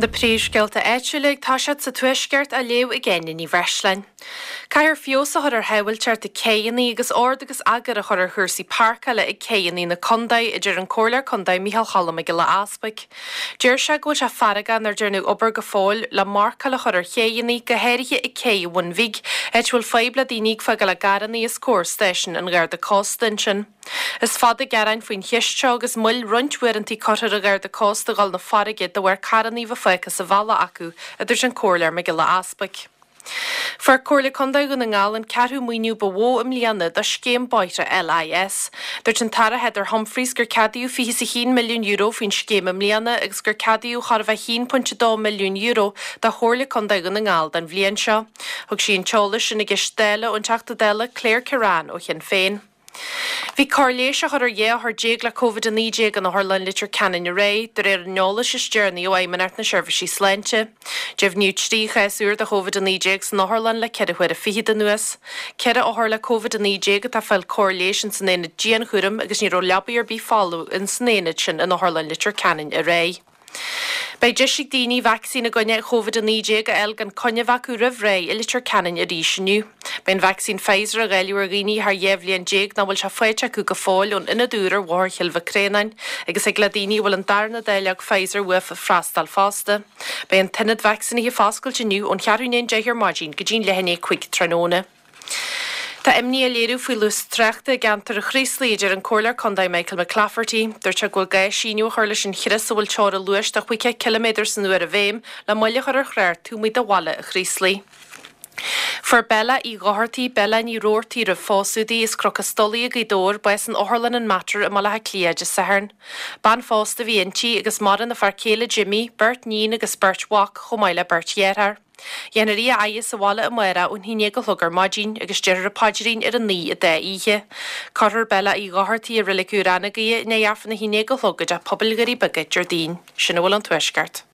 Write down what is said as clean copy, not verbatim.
Na príomhscéalta áitiúla ag toiseacht sa Tuaisceart á léamh ag Áine Ní Bhreisleáin. Caithfear feabhas a chur ar shábháilteacht ag céidheanna agus ord agus eagar a chur ar chúrsaí páirceála ag céidheanna na contae, a deir an Comhairleoir Contae Micheál Cholm Mac Giolla Easpaig. Deir sé go bhfuil sé feargach nár dearnadh obair go fóill le marcáil a chur ar chéidheanna, go háirithe ag Cé an Bhun Bhig, áit a bhfuil fadhb le daoine ag fágáil a gcarranna os comhair stáisiún an Gharda Cósta ansin. Is fada gearáin faoin cheist seo agus moill roinnt uaireanta curtha ar an Gharda Cósta dhul 'na farraige de bharr carranna bheith fágtha sa bhealach acu, a dúirt an Comhairleoir Mac Giolla Easpaig. Fuair Comhairle Contae Dhún na nGall an ceathrú maoiniú ba mhó i mbliana do scéim bóithre LIS. Dúirt an tAire Heather Humphreys gur ceadaíodh €21 milliún faoin scéim i mbliana agus gur ceadaíodh chóir a bheith €1.2 milliún do Chomhairle Contae Dhún na nGall don bhliain seo. Thug sí an t-eolas sin i gceist Dála ón Teachta Dála Claire Kerrane ó Shinn Féin. Bhí cóir leighis á chur ar 12 othar le Covid-19 in Otharlann Leitir Ceanainn aréir, de réir an eolais is deireanaí ó Fheidhmeannacht na Seirbhísí Sláinte. Deimhníodh 3 chás úr de Covid-19 san otharlann le ceithre huaire fichead anuas. Ceithre othar le Covid-19 atá ag fáil cóir leighis ins an aonad dianchúraim agus ní raibh leabaidh ar bith folamh ins an aonad sin in Otharlann Leitir Ceanainn aréir. Beidh deis ag daoine vacsaín i gcoinne Covid-19 a fháil gan coinne a bheith acu roimh ré i Leitir Ceanainn arís inniu. Beidh an vacsaín Pfizer á dháileadh ar dhaoine thar 12 bhliain nach bhfuil sé faighte acu go fóill ón ionad úr ar Bhóthar Chill Mhic Réanáin agus thig le daoine a bhfuil an darna dáileog Pfizer uafa freastal fosta. Beidh an t-ionad vacsaínithe foscailte inniu ón cheathrú i ndiaidh a 10 ar maidin go dtí'n leath i ndiaidh 5 tráthnóna. Tá imní á léiriú faoi luas tráchta i gceantar an Chraoslaigh, a deir an Comhairleoir Contae Michael McClafferty. Dúirt sé go bhfuil gá síneadh a chur leis an chrios a bhfuil teora luais de 50 ciliméadar san uair i bhfeidhm le moill a chur ar thrácht taobh amuigh de bhaile an Chraoslaigh. Fuair Bella Uí Dhochartaigh, Bella Ní Robhartaigh roimh phósadh di, as Cnoc an Stolaigh i Gaoth Dobhair, bás in Otharlann an Mater i mBaile Átha Cliath Dé Sathairn. Bean phósta a bhí inti agus maireann a fear céile Jimmy, beirt níon agus beirt mhac chomh maith le beirt dheartháir. Dhéanfar í a fhaire sa bhaile amárach ón haon dhéag a chlog ar maidin agus déarfar an paidrín ar a naoi a dá oíche. Cuirfear Bella Uí Dhochartaigh i Reilig Úr Anagaire i ndiaidh Aifreann a haon déag a chlog i dTeach Pobail Dhoirí Beaga Déardaoin. Sin a bhfuil ón Tuaisceart.